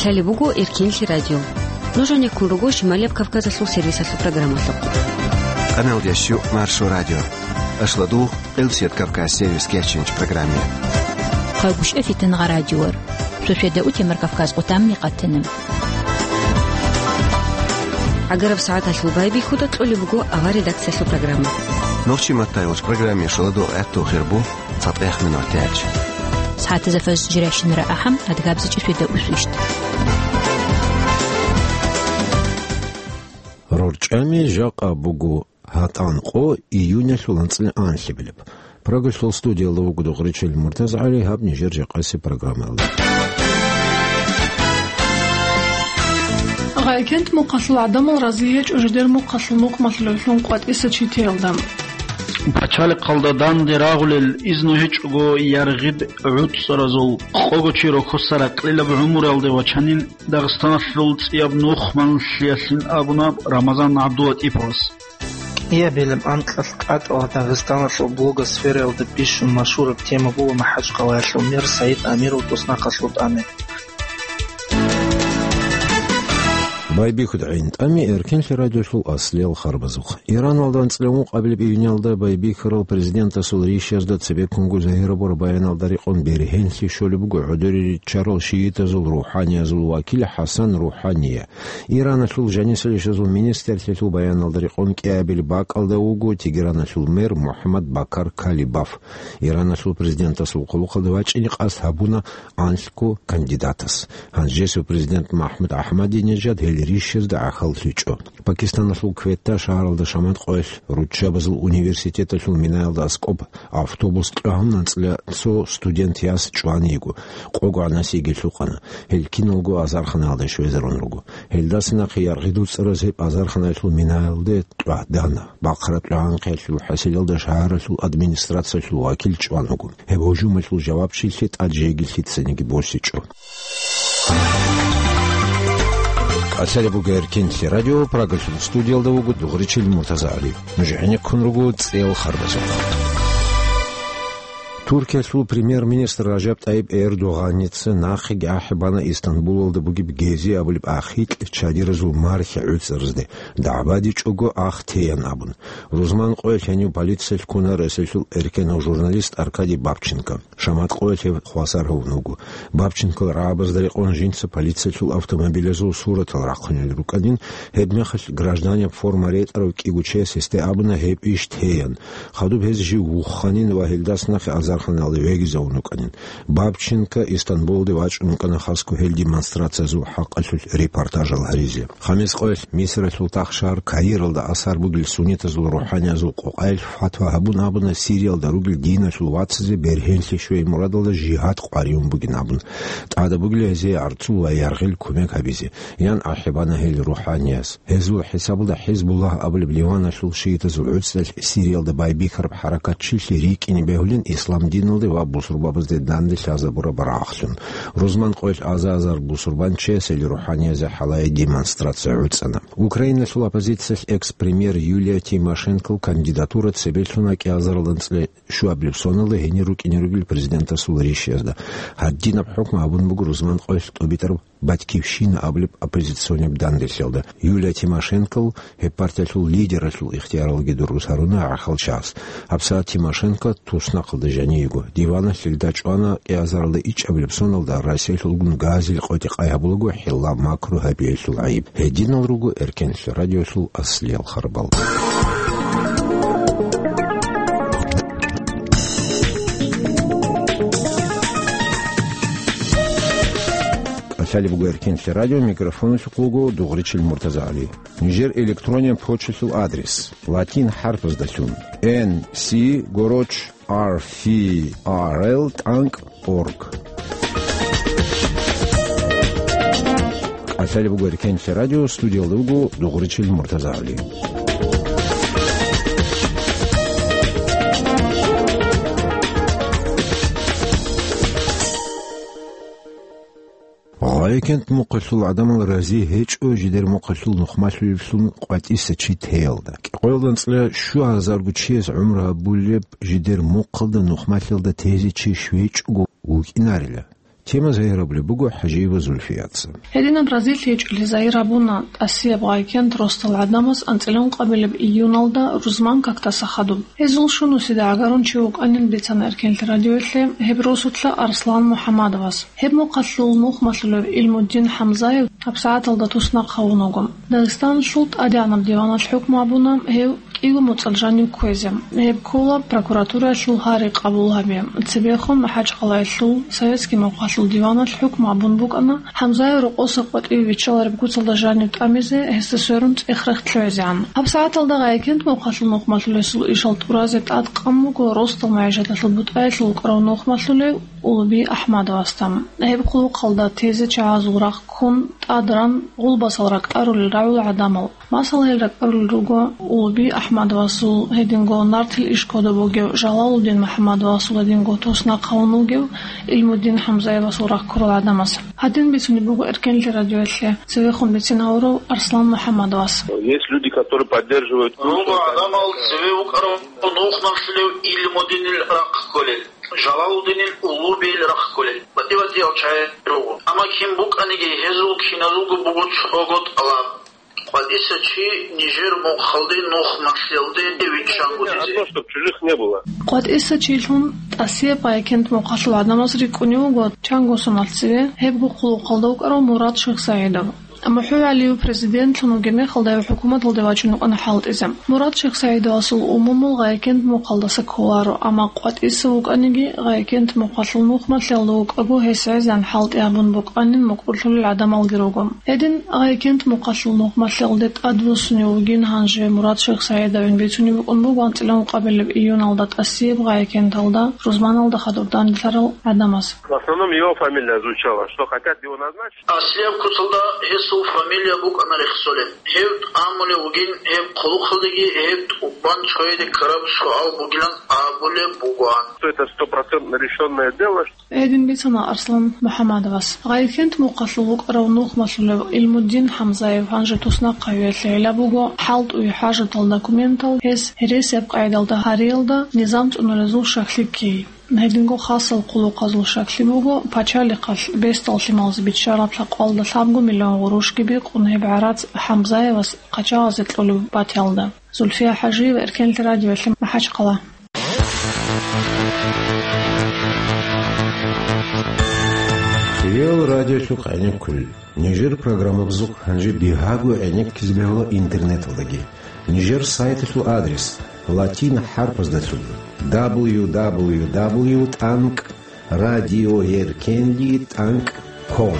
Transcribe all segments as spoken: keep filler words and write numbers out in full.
Лъалеб буго Эркенлъи радио. Нуж гьанеккун руго Шималияб Кавказалъул сервисалъул программалъухъ. Къаналдящу Маршо радио. Ашладу, Элсият Кавказ сервис кечинч программе. Къагушев Фитангъа радиор. Сосведа утемар Кавказ къутамни къатана. ГӀагараб сагӀаталъул байбихьуда кьолеб буго авар редакциялъул программа. Нохчи маттайолч программе шаладу гӀатту хирбу. ЦатӀех минутач. СагӀатазда фаз жиращинара ахӀам, адгабзичӀи светда усвищт. РорчӀами жакъа буго гьатӀан къо июнялъул анцӀила анлъабилеб. Прагалъул студиялда вуго Дугъричил МуртазагӀали, гьаб нижер жакъаси программаялда. Гъайкент мухъалъул гӀадамал разие гьечӀо жидер мухъалъул мукъмалъулевлъун къватӀиса читеялда. Пачалихъалда данде рагъулел изну гьечӀого яргъид гӀуцӀаразул къого чи рохьоса ракьилаб гӀумруялде вачанин Дагъистаналъул цӀияб нух малъиялъин абуна Рамазан ГӀабдулатӀиповас. КӀиабилеб анкьалъ къатӀала Дагъистаналъул блогосфераялда бищун машгьураб тема буго МахӀачкъалаялъул мэр Саид Амиров туснахъалъур тӀами. Байбихьуда гӀин тӀами Эркенлъи радиолъул аслиял харбазухъ. Иранал данцӀила ункъабилеб июнялда байбихьарал президентасул ришазда цебеккунго загьирабураб баяналда рекъон бергьенлъи щолеб буго гӀодоре риччарал шиитазул рухӀаниязул вакил ХӀасан РухӀания. Ираналъул жанисал ишазул министрлъиялъул баяналда рекъон кӀиабил бакӀалда вуго Тегераналъул мэр МухӀаммад Бакар Калибаф. Иранасул президентасул хъулухъалда вачӀине къасд гьабуна анлъго кандидатас. Гьанжесев президент МахӀмуд АхӀмадинежад гьел ришазда гӀахьаллъичӀо. Пакистаналъул Квета шагьаралда шамат къоялъ руччабазул университеталъул минаялда аскӀоб автобус кьвагьун анцӀила цо студент яс чӀван йиго, къого гӀанасиги лъукъана. Гьел киналго азарханаялда щвезарун руго. Гьелдаса нахъе яргъи дуцӀараз гьеб азарханаялъул минаялде тӀвагьдана. Бахъараб тӀагӀанхъиялъул хӀасилалда шагьаралъул администрациялъул вакил чӀван вуго. Гьеб гьужумалъул жавабчилъи тӀад жеги лъицаниги босичӀо. КӀалъалеб буго Эркенлъи радио, Прагалъул студиялда вуго Дугъричил МуртазагӀали. Нуж гӀенеккун руго цӀел харбазухъ. Туркиялъул премьер-министр Ражаб ТӀайиб Эрдогъаница нахъеги ахӀи бана Истанбулалда бугеб Гези абулеб ахикь чадиразул мархи гӀуцӀаразде, дагӀбадичӀого ах теян абун. Рузман къоялъ гьенив полициялъ ккуна Россиялъул эркенав журналист Аркадий Бабченко. Шамат къоялъ гьев хвасар гьавун вуго. Бабченкол рагӀабазда рекъон жинца полициялъул автомобилазул суратал рахъунел рукӀанин, гьебмехалъ гражданеб форма ретӀарав кӀиго чияс гьесде абуна гьеб иш теян. Хадуб гьез жив вухханин ва гьелдаса нахъе азарханалде вегизавун вукӀанин. Бабченко Истанбулалде вачӀун вукӀана хасго гьел демонстрациязул хӀакъалъулъ репортажал гьаризе. Хамис къоялъ Мисралъул тахшагьар Каиралда асар бугел суннитазул рухӀаниязул къокъаялъ фатва гьабун абуна Сириялда ругел диналъул вацазе бергьенлъи щвей мурадалда жигьад къваригӀун бугин абун. ТӀада бугила гьезие гӀарцул ва яргъил кумек гьабизе, ян ахӀи бана гьел рухӀанияс. Гьезул хӀисабалда ХӀизбуллагь абулеб Ливаналъул шиитазул гӀуцӀралъ Сириялда байбихьараб хӀаракатчилъи рикӀкӀине бегьулин ислам диналде ва бусурбабазде данде лъазабураб рагӀахълъун. Рузман къоялъ аза-азар бусурбанчиясел рухӀаниязе хӀалае демонстрация гӀуцӀана. Украиналъул оппозициялъ экс-премьер Юлия Тимошенкол кандидатура цебе лъуна кӀиазаралда анцӀила щуабилеб соналда гьенир рукӀине ругел президентасул ришиязда. Гьадинаб хӀукму гьабун буго рузман къоялъ тӀубитӀараб «Батькивщина» абулеб оппозиционеб данделъалда. Юлия Тимошенкол гьеб партиялъул лидералъул ихтияралги дургъус гьаруна гӀахьалчагӀаз. ГьабсагӀат Тимошенко туснахъалда жанив йиго. Диваналъ гьелда чӀвана кӀиазаралда ичӀабилеб соналда Россиялъулгун газил къотӀи къай гьабулаго хӀилла макру гьабиялъул гӀайиб. Гьединал руго Эркенлъи радиолъул аслиял харбал. КӀалъалеб буго Эркенлъи радио, микрофоналъухъ вуго Дугъричил МуртазагӀали. Нижер электронен почталъул адрес: латин хӀарпаздалъун: Н С гороч R F R L тӀанкӀ org. КӀалъалеб буго Эркенлъи радио, студиялда вуго Дугъричил МуртазагӀали. Гъайкент мухъалъул гӀадамал рази гьечӀо жидер мухъалъул нухмалъулеблъун къватӀиса чи теялда. КьолданцӀила щуазарго чияс гӀумру гьабулеб жидер мухъалда нухмалъиялда тезе чи щвечӀого вукӀинарила. Тема загьирабулеб буго ХӀажиева Зульфияца. Гьединаб разилъи гьечӀолъи загьир гьабуна ТӀасияб гъайкент росдал гӀадамаз анцӀила ункъабилеб июналда рузман кактаса хадуб. Гьезул щунусида гӀагарун чи вукӀанин бицана Эркенлъи радиоялъе гьеб росулъа Арслан МухӀаммадовас. Гьеб мухъалъул нухмалъулев Илмуддин ХӀамзаев гьабсагӀаталда туснахъ гьавун вуго. Дагъистаналъул тӀадегӀанаб диваналъ хӀукму гьабуна гьев кӀиго моцӀалъ жанив кквезе. Гьеб ккола прокуратураялъул гьари къабул гьабе. Цебехун МахӀачхъалаялъул советский мухъалъул диваналъ хӀукму гьабун букӀана ХӀамзаев рокъоса къватӀиве виччалареб куцалда жанив тӀамизе, гьесда сверун цӀех-рех лъугӀизегӀан. ГьабсагӀаталда гъайкент мухъалъул нухмалъулесул ишал тӀуразе тӀадкъан буго росдал магӀишаталъул бутӀаялъул вукӀарав нухмалъулев Улуби АхӀмадовасда. Гьеб хъулухъалда тезе чагӀазул рахъ ккун, тӀад ран, гъулбасал ракӀарулел рагӀул гӀадамал. Масала, гьел ракӀарулел руго Улуби АхӀмадовасул, гьединго нартил иш кодоб бугев Жалалудин МухӀаммадовасул, гьединго туснахъ гьавун вугев Илмуддин ХӀамзаевасул рахъ ккурал гӀадамаз. Гьадин бицунеб буго Эркенлъи радиоялъе цевехун бицин гьавурав Арслан МухӀаммадовас. Есть люди, которые поддерживают. Руго гӀадамал цеве вукӀарав нухмалъулев Илмуддинил рахъ кколел, Жалалуддинил Улубиил рахъ кколел, батӀи-батӀиял чагӀи руго. Амма кин букӀаниги, гьезул киназулго буго цого тӀалаб: къватӀиса чи нижер мухъалде нухмалъиялде виччан гутӀизе. Одно, чтоб чужих не было. КъватӀиса чилъун ТӀасияб гъайкент мухъалъул гӀадамаз рикӀкӀунев вуго чанго соналъ цеве гьебго хъулухъалда вукӀарав Мурад ШихсагӀидов. МухӀугӀалиев президентлъун вугеб мехалда гьев хӀукуматалде вачӀун вукӀана хӀалтӀизе. Мурад ШихсагӀидовасул умумул гъайкент мухъалдаса кколаро, амма къватӀиса вукӀаниги, гъайкент мухъалъул нухмалъиялда вукӀаго гьес гӀезегӀан хӀалтӀи гьабун букӀанин мукӀурлъулел гӀадамалги руго. Гьедин гъайкент мухъалъул нухмалъиялде тӀадвуссунев вугин гьанже Мурад ШихсагӀидовин бицунеб букӀун буго анцӀила ункъабилеб июналда ТӀасияб гъайкенталда рузманалда хадур данделъарал гӀадамаз. В основном его фамилия звучала, что хотят его назначить. Аслияб куцалда гьесул фамилия букӀана рехсолеб. Гьев тӀамулев вугин, гьеб хъулухъалдеги гьеб тӀубан цояде ккараб суал бугилан абулеб бугоан. Что это стопроцентно решённое дело. Гьедин бицана Арслан МухӀаммадовас. Гъайкент мухъалъул вукӀарав нухмалъулев Илмуддин ХӀамзаев гьанже туснахъ гьавиялъе гӀелаб буго хӀалтӀуе хӀажатал документал гьес гьересияб къайдалда гьариялда низам цӀунулезул щаклъи ккей. Гьединго хасал хъулухъазул щаклъи буго пачалихъалъ бесдал лъималазе биччараб лъакъалда лъабго миллион гъурущги бикъун гьеб гӀарац ХӀамзаевас къачагъазе кьолеб батиялда. Зульфия ХӀажиева, Эркенлъи радиоялъе, МахӀачхъала. Риал радиолъухъ гӀенеккулел. Нижер программабазухъ гьанже бигьаго гӀенеккизе бегьула интернеталдаги. Нижер сайталъул адрес латин хӀарпаздалъун: дабл ю дабл ю дабл ю тӀанкӀ радио эркенли тӀанкӀ ком.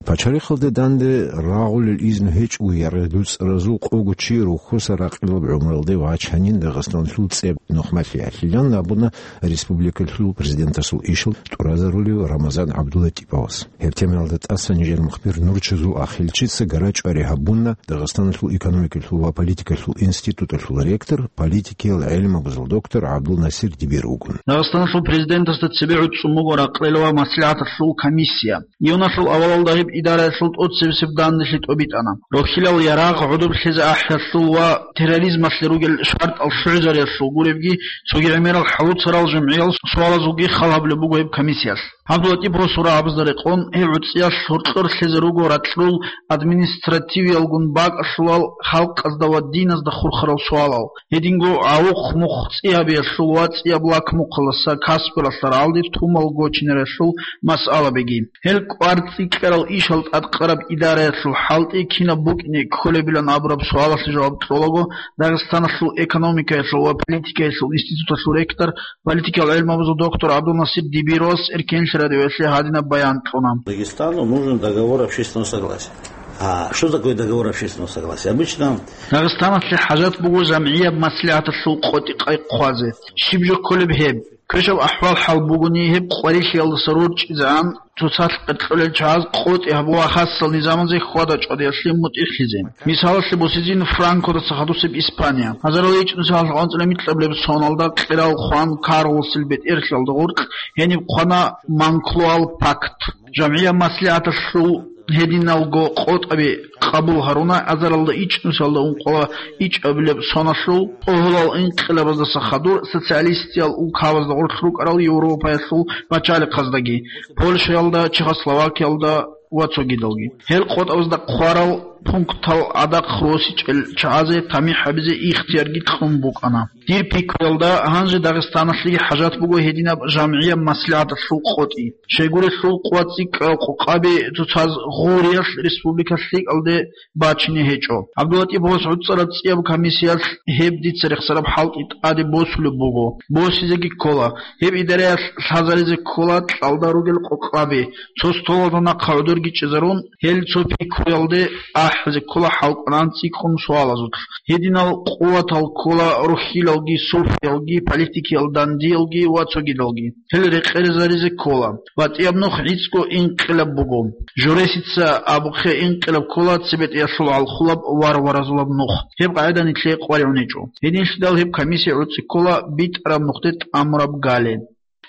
Пачалихъалде данде рагъулел изну гьечӀого яргъи дуцӀаразул къого чи рухьуса ракъилаб гӀумралде вачанин Дагъистаналъул цӀеб нухмалъиялъилан абуна республикалъул президентасул ишал тӀуразарулев Рамазан ГӀабдуллатӀиповас. Гьеб темаялда тӀасан нижер мухбир Нурчазул Ахилчица гара-чӀвари гьабуна Дагъистаналъул экономикалъул ва политикалъул институталъул ректор, политикиял гӀелмабазул доктор ГӀабдулнасир Дибир вугун. Дагъистаналъул президентасда цебе гӀуцӀцӀун буго ракълел ва маслигӀаталъул комиссия. Июналъул авалалда гьеб идараялъул тӀоцебесеб данделъи тӀобитӀана. Рохьилал ярагъ гӀодоблъизе ахӀиялъул ва терроризмалъе ругел шартӀал лъугӀизариялъул гуребги, цоги гӀемерал хӀалуцарал жамгӀиял суалазулги хал гьабулеб буго гьеб комиссиялъ. ГӀабдуллатӀиповасул рагӀабазда рекъон, гьеб гӀуцӀиялъ гьоркьор лъезе руго ракьрул административиялгун бакӀалъулал халкъазда ва диназда хурхарал суалал. Гьединго гӀавухъ-мухъ цӀи гьабиялъул ва цӀияб лак-мухъалдаса касбуралъа рагӀалде тумал гочинариялъул масъалабиги. Гьел кӀвар цӀикӀкӀарал ишал тӀадкъараб идараялъул хӀалтӀи кинаб букӀине кколебилан абураб суалалъе жаваб кьолаго, Дагъистаналъул экономикаялъул ва политикаялъул институталъул ректор, политикал гӀелмабазул доктор ГӀабдулнасир Дибировас Эркенлъи радиоялъе гьадинаб баян кьуна. Дагестану нужен договор общественного согласия. А что такое договор общественного согласия? Обычно Дагъистаналъе хӀажат буго жамгӀияб маслигӀаталъул къотӀи-къай хъвазе. Щиб жо кколеб гьеб? Квешаб ахӀвал-хӀал бугони, гьеб къварилъиялдаса рорчӀизегӀан цоцалъ къеркьолел чагӀаз къотӀи гьабула хасал низамазе хьвада-чӀвадиялъе мутӀигӀлъизе. Мисалалъе босизин, Франкодаса хадусеб Испания. Гьазарал гьечӀеб нусалъ анцӀила микьабилеб соналда кьерал хъван Карлосил бетӀерлъиялда гъоркь гьениб хъвана Монклоал пакт. ЖамгӀияб маслигӀаталъул Гьединалго къотӀаби къабул гьаруна азаралда ичӀнусиялда ункъоялда ичӀабилеб соналъул, тӀогьолал инкъилабаздаса хадур социалистиял улкабазда гъорлъ рукӀарал Европаялъул пачалихъаздаги, Польшаялда, Чехословакиялда ва цогидалги. Гьел къотӀабазда хъварал пунктал гӀадахъ росичӀел чагӀазе тамихӀ гьабизе ихтиярги кьун букӀана. Дир пикруялда, гьанже Дагъистаналъеги хӀажат буго гьединаб жамгӀияб маслигӀаталъул къотӀи. Щайгурелъул къвацӀикӀкӀал къокъаби цоцаз гъуриялъ республикалъ лъикӀалде бачине гьечӀо. ГӀабдуллатӀиповас гӀуцӀараб цӀияб комиссиялъ гьеб дица рехсараб хӀалтӀи тӀаде босулеб буго, босизеги ккола. Гьеб идараялъ лъазаризе ккола кьалда ругел къокъаби, цо столалда нахъа гӀодорги чӀезарун, гьел цо пикруялде ахӀизе ккола хӀалкӀван цӀикӀкӀун суалазулъ. Гьединал къуватал ккола рухьилалги, сулфиялги, политикиял дандиялги ва цогидалги. Гьел рекъезаризе ккола. БатӀияб нух гӀицӀго инкъилаб буго. Жоресица абухъе инкъилаб ккола цебетӀиялъул гӀалхулаб варваразулаб нух. Гьеб къагӀида нилъее къваригӀун гьечӀо. Гьединлъидал гьеб комиссия гӀуцӀи ккола битӀараб нухде тӀамураб гали.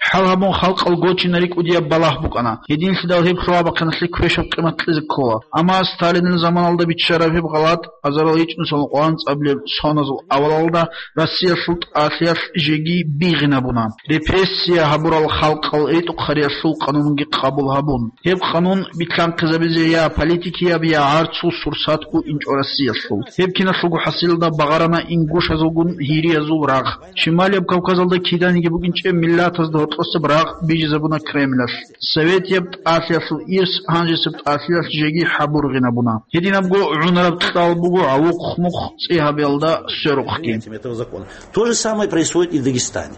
ХӀал гьабун халкъал гочинари кӀудияб балагь букӀана. Гьединлъидал гьеб лъугьа-бахъиналъе квешаб къимат кьезе ккола. Амма Сталинил заманалда биччараб гьеб гъалатӀ азарал ичӀнусиялда къванцӀабилеб соназул авалалда Россиялъул тӀалъиялъ жеги бигъинабуна, репрессия гьабурал халкъал ритӀухъариялъул къанунги къабул гьабун. Гьеб къанун билълъанхъизабизе я политикияб, я гӀарцул сурсатго инчӀо Россиялъул. Гьеб киналъулго хӀасилалда багъарана ингушазулгун гьириязул рагъ. Шималияб Кавказалда киданиги букӀинчӀеб миллатазда гьоркьосеб рагъ бижизабуна Кремлалъ. Советияб тӀалъиялъул ирс гьанжесеб тӀалъиялъ жеги хӀабургъинабуна. Гьединабго гӀунараб кьал буго гӀавухъ-мухъ цӀи гьабиялда сверухъги. Этого закона. То же самое происходит и в Дагестане.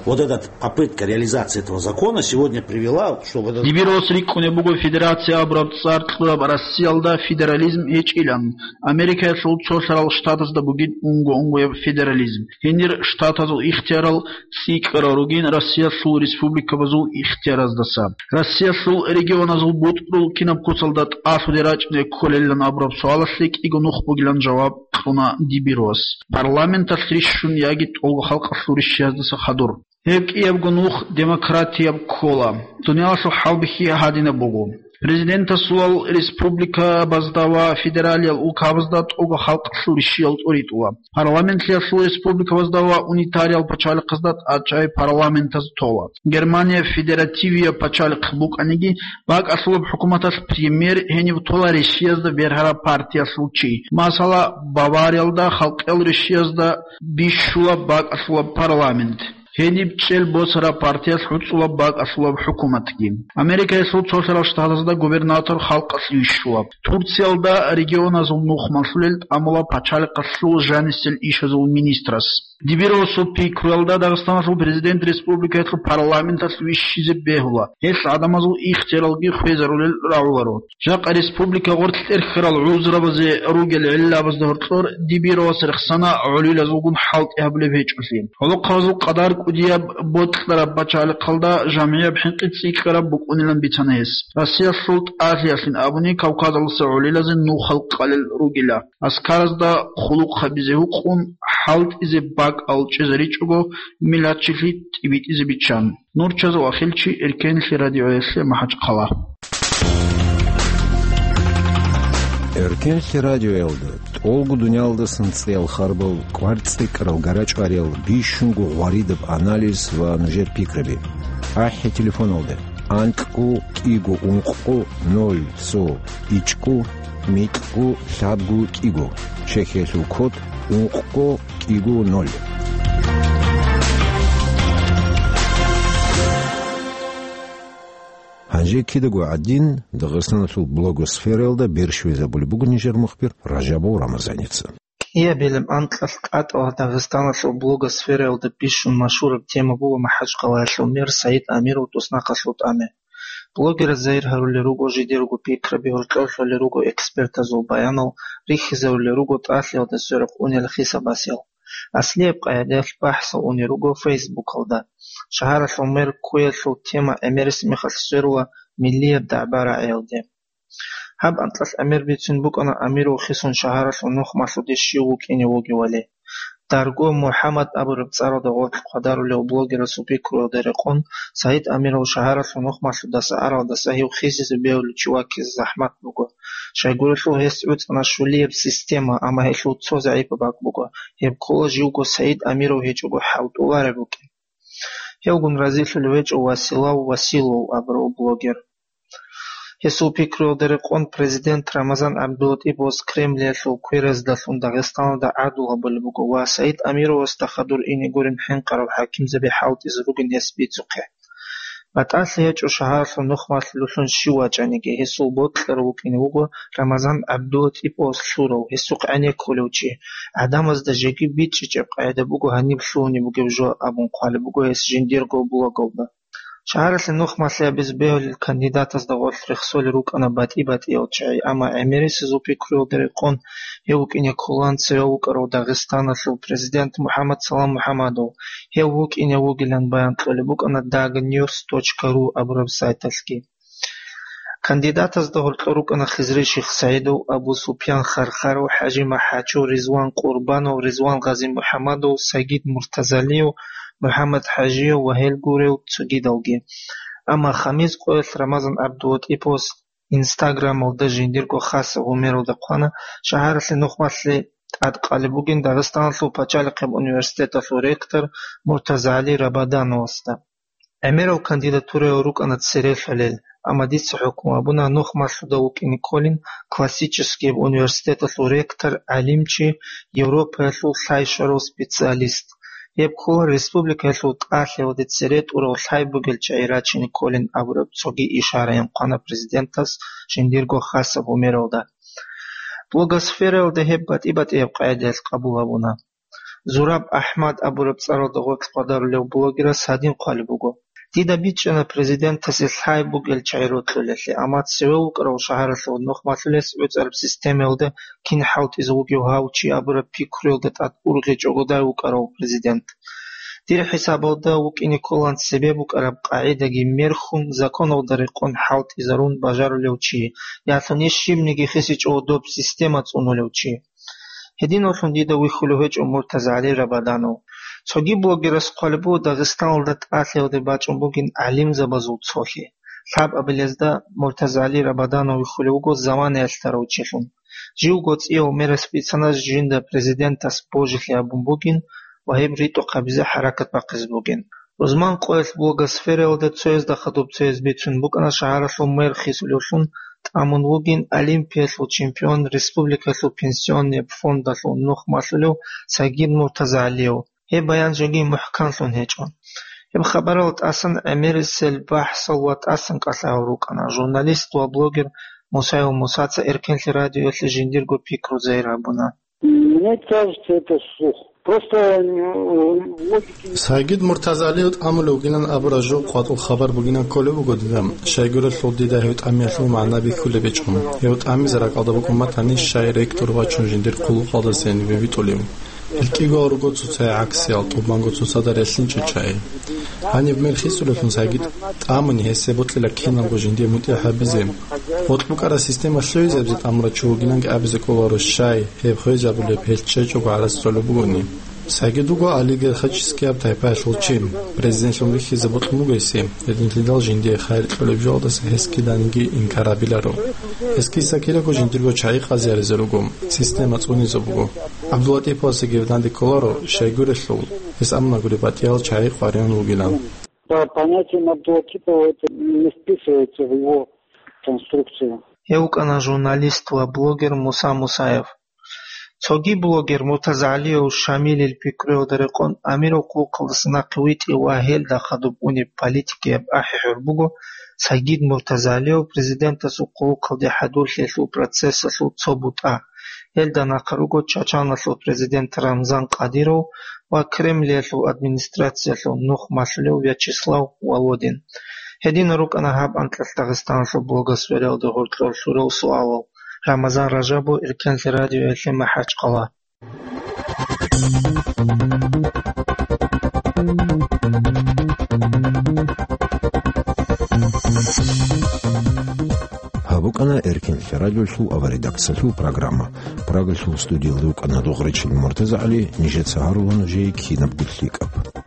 Вот эта попытка реализации этого закона сегодня привела, что вот это Дибирос рикӀкӀунеб буго федерация абураб цӀар кьураб Россиялда федерализм гьечӀилан. Америкаялъул цолъарал штатазда бугин унго-унгояб федерализм. Гьенир штатазул ихтиярал цӀикӀкӀарал ругин Россиялъул республикабазул ихтияраздаса. Россиялъул регионазул бутӀрул кинаб куцалда тӀалъуде рачӀине кколелилан абураб суалалъе кӀиго нух бугилан жаваб кьуна Дибирос. Парламенталъ рищун яги тӀолго халкъалъул рищияздаса хадур. Гьеб кӀиябго нух демократияб ккола. Дуниялалъул хӀалбихьи гьадинаб буго. Президентасулал республикабазда ва федералиял улкабазда тӀолго халкъалъул рищиял тӀуритӀула. Парламентлъиялъул республикабазда ва унитариял пачалихъазда тӀадчӀай парламентаз тола. Германия федеративияб пачалихъ букӀаниги, бакӀалъулаб хӀукуматалъ премьер гьенив тола рищиязда бергьараб партиялъул чи. Масала, Бавариялда халкъиял рищиязда бищулаб бакӀалъулаб парламент. Гьениб чӀел босараб партиялъ гӀуцӀулаб бакӀалъулаб хӀукуматги. Америкаялъул цолъарал штатазда губернатор халкъалъ вищулаб. Турциялда регионазул нух малъулел тӀамула пачалихъалъул жанисел ишазул министрас. Дибиросул пикруялда Дагъистаналъул президент республикаялъул парламенталъ вищизе бегьула, гьелъ гӀадамазул ихтияралги хвезарулел рагӀуларо. Жакъа республика гъоркь тӀерхьарал гӀузрабазе ругел гӀиллабазда гьоркьор Дибирос рехсана гӀолилазулгун хӀалтӀи гьабулеб гьечӀолъи. ГӀолохъабазул къадар кӀудияб бокьараб пачалихъалда жамгӀияб хӀинкъи цӀикӀкӀараб букӀунилан бицана гьес. Россиялъул тӀалъиялъин абуни Кавказалдаса гӀолилазе нухал къалел ругила. Аскаразда хъулухъ гьабизе гьукъун, хӀалтӀизе бакӀал чӀезаричӀого, миллатчилъи тӀибитӀизе биччан. Нурчазул ахилчи, Эркенлъи радиоялъе, МахӀачхъала. Эркенлъи радиоялда тӀолго дуниялдасан цӀиял харбал, кӀвар цӀикӀкӀарал гарачӀвариял, бищунго гъваридаб анализ ва нужер пикраби. АхӀи телефоналда: анкьго кӀиго ункъго ноль цо ичӀго микьго лъабго кӀиго, чехьиялъул код ункъго кӀиго ноль. Гьанже кидаго гӀадин, Дагъистаналъул блогосфераялда берщвезабулеб буго нижер мухбир Ражабов Рамазаница. КӀиабилеб анкьалъ кӀатӀала Дагъистаналъул блогосфераялда бищун машгьураб тема буго МахӀачхъалаялъул мэр СагӀид Амиров туснахъалъул тӀаме. Блогераз загьир гьарулел руго жидерго пикраби, гьоркьор лъолел руго экспертазул баянал, рихьизарулел руго тӀалъиялда сверухъ унел хисабасел. Аслияб къагӀидаялъ бахӀсал унел руго Фейсбукалда. Шагьаралъул мэр ккуялъул тема гӀемерис мехалъ сверула миллияб дагӀба-рагӀиялде. Гьаб анкьалъ гӀемер бицун букӀана Амиров хисун шагьаралъул нух малъуде щив вукӀине вугевали. Дарго МухӀаммад абураб цӀаралда гъоркь хъвадарулев блогерасул пикруялда рекъон, Саид Амиров шагьаралъул нухмалъудаса аралдаса гьев хисизе бегьулев чи ваккизе захӀмат буго. Щайгурелъул гьес гӀуцӀана щулияб система, амма гьелъул цо загӀипаб бакӀ буго, гьеб ккола живго Саид Амиров гьечӀого хӀалтӀулареб букӀин. Гьевгун разилъулев гьечӀо Василав Василов абурав блогер. Гьесул пикруялда рекъон президент Рамазан ГӀабдулатӀиповас Кремлиялъул квераздалъун Дагъистаналда гӀадул гьабулеб буго ва Саид Амировасда хадур ине гурин хӀинкъарал хӀакимзаби хӀалтӀизе ругин гьес бицухъе. БатӀалъи гьечӀо шагьаралъул нухмалъулелъун щив вачӀаниги, гьесул бокьарав вукӀине вуго Рамазан ГӀабдулатӀиповас лъурав, гьесухъ гӀенеккулев чи, гӀадамазда жеги бичӀчӀичӀеб къагӀида буго гьаниб лъугьунеб бугеб жо абун хъвалеб буго гьес жиндирго блогалда. Шагьаралъе нухмалъи гьабизе бегьулел кандидатазда гъорлъ рехсолел рукӀана батӀи-батӀиял чагӀи, амма гӀемерисезул пикруялда рекъон гьев вукӀине кколаан цеве вукӀарав Дагъистаналъул президент МухӀаммад Салам МухӀаммадов, гьев вукӀине вугилан баян кьолеб букӀана дагньюс точка ру абураб сайталъги. Кандидатазда гьоркьор рукӀана Хизри Шихсаидов, Абу Супьян Хархаров, ХӀажи МахӀачев, Ризван Къурбанов, Ризван Гъазимухьамадов, Сагид Муртазалиев, МухӀаммад ХӀажиев ва гьел гурел цогидалги. Амма Хамис къоялъ Рамазан ГӀабдулатӀиповас Инстаграмалда жиндирго хасаб гьумералда хъвана, шагьаралъе нухмалъи тӀадкъалеб бугин Дагъистаналъул пачалихъеб университеталъул ректор МуртазагӀали Рабадановасда. ГӀемерал кандидатураял рукӀана цере лъалел, амма дица хӀукму гьабуна нухмалъуда вукӀине кколин классическияб университеталъул ректор, гӀалимчи, Европаялъул лъай щварав специалист. Гьеб ккола республикаялъул тӀалъиялде цере тӀурал лъай бугел чагӀи рачине кколин абураб цоги ишараян хъвана президентас жиндирго хасаб гьумералда. Блогосфераялда гьеб батӀи-батӀияб къагӀидаялъ къабул гьабуна. Зураб АхӀмад абураб цӀаралда гъоркь хъвадарулев блогерас гьадин хъвалеб буго: «Дида бичӀчӀана президентасе лъай бугел чагӀи рокьулелъе, амма цеве вукӀарав шагьаралъул нухмалъулес гӀуцӀараб системаялда кин хӀалтӀизе вугев гьав чи абураб пикруялда тӀад ургъичӀого дай вукӀарав президент. Дир хӀисабалда вукӀине кколан цебе букӀараб къагӀидаги мерхьун, законалда рекъон хӀалтӀизарун бажарулев чи, ялъуни щибниги хисичӀого доб система цӀунулев чи». Гьединавлъун дида вихьулев гьечӀо МуртазагӀали Рабаданов. Цоги блогерас хъвалеб буго Дагъистаналда тӀалъиялде бачӀун бугин гӀалимзабазул цолъи. Лъабабилезда МуртазагӀали Рабаданов вихьулев вуго заманаялъ дарав чилъун. Живго цӀияв мерас бицана жинда президентас божилъи гьабун бугин ва гьеб ритӀухъ гьабизе хӀаракат бахъизе бугин. Рузман къоялъ блогосфераялда цоязда хадуб цояз бицун букӀана шагьаралъул мэр хисулевлъун тӀамун вугин Олимпиялъул чемпион, республикалъул пенсионный фондалъул нухмалъулев Сагид МуртазагӀалиев. Гьеб баян жеги мухӀканлъун гьечӀо. Гьеб хабарал тӀасан гӀемерисел бахӀсал ва тӀасан кӀалъагьал рукӀана. Журналист ва блогер Мусаев Мусаца Эркенлъи радиоялъе жиндирго пикру загьир гьабуна. Мне кажется, это слух. Просто, э, логики не Сагид Муртазалиев тӀамулев вугилан абураб жо къватӀул хабар бугилан кколеб буго дида. Щайгурелъул дида гьев тӀамиялъул магӀна бихьулеб гьечӀо. Гьев тӀамизе ракӀалда букӀун батани, щай ректор вачун жиндир хъулухъалдаса гьенибе витӀулев. Гьел кӀиго руго цоцай гӀаксиял, тӀубанго цоцазда релълъинчӀел чагӀи. Гьаниб мер хисулевлъун Сагид тӀамуни гьесие бокьила киналго жиндие мутӀигӀ гьабизе. БокьбукӀараб система лъугӀизабизе тӀамурав чи вугиланги абизе кӀоларо, щай, гьеб хвезабулеб гьел чӀечӀого гӀарац цолеб бугони. Сагид вуго олигархическияб тайпаялъул чи. Президентлъун вихьизе бокьун буго гьесие, гьединлъидал жиндие хайир кьолеб жоялдаса гьес киданиги инкар гьабиларо. Гьес киса-кидаго жиндирго чагӀи къазаризе руго, система цӀунизе буго. ГӀабдулатӀиповасеги данде кколаро, щайгурелъул, гьес амма гури батӀиял чагӀи къваригӀун вугилан. По понятиям Абдулатипова это не вписывается в его конструкцию. Гьев вукӀана журналист ва блогер Муса Мусаев. Цоги блогер МуртазагӀалиев Шамилил пикруялда рекъон Амиров хъулухъалдаса нахъе витӀи ва гьелда хадуб унеб политикияб ахӀи-хӀур буго Сагид МуртазагӀалиев президентасул хъулухъалде хӀадурлъиялъул процессалъул цо бутӀа. Гьелда нахъа руго Чачаналъул президент Рамзан Кадыров ва Кремлиялъул администрациялъул нухмалъулев Вячеслав Володин. Гьединал рукӀана гьаб анкьалъ Дагъистаналъул блогосфераялда гьоркьор лъурал суалал. Рамазан Ражабов, Эркенлъи радиоялъе, МахӀачкъала. Гьаб Къана Эркин лъарадиолъул аваредакциялъул программа. Прагалъул студиялда рукӀана Дугъричил МуртазагӀали, нижеца гьарулану жей кинабго лъикӀаб.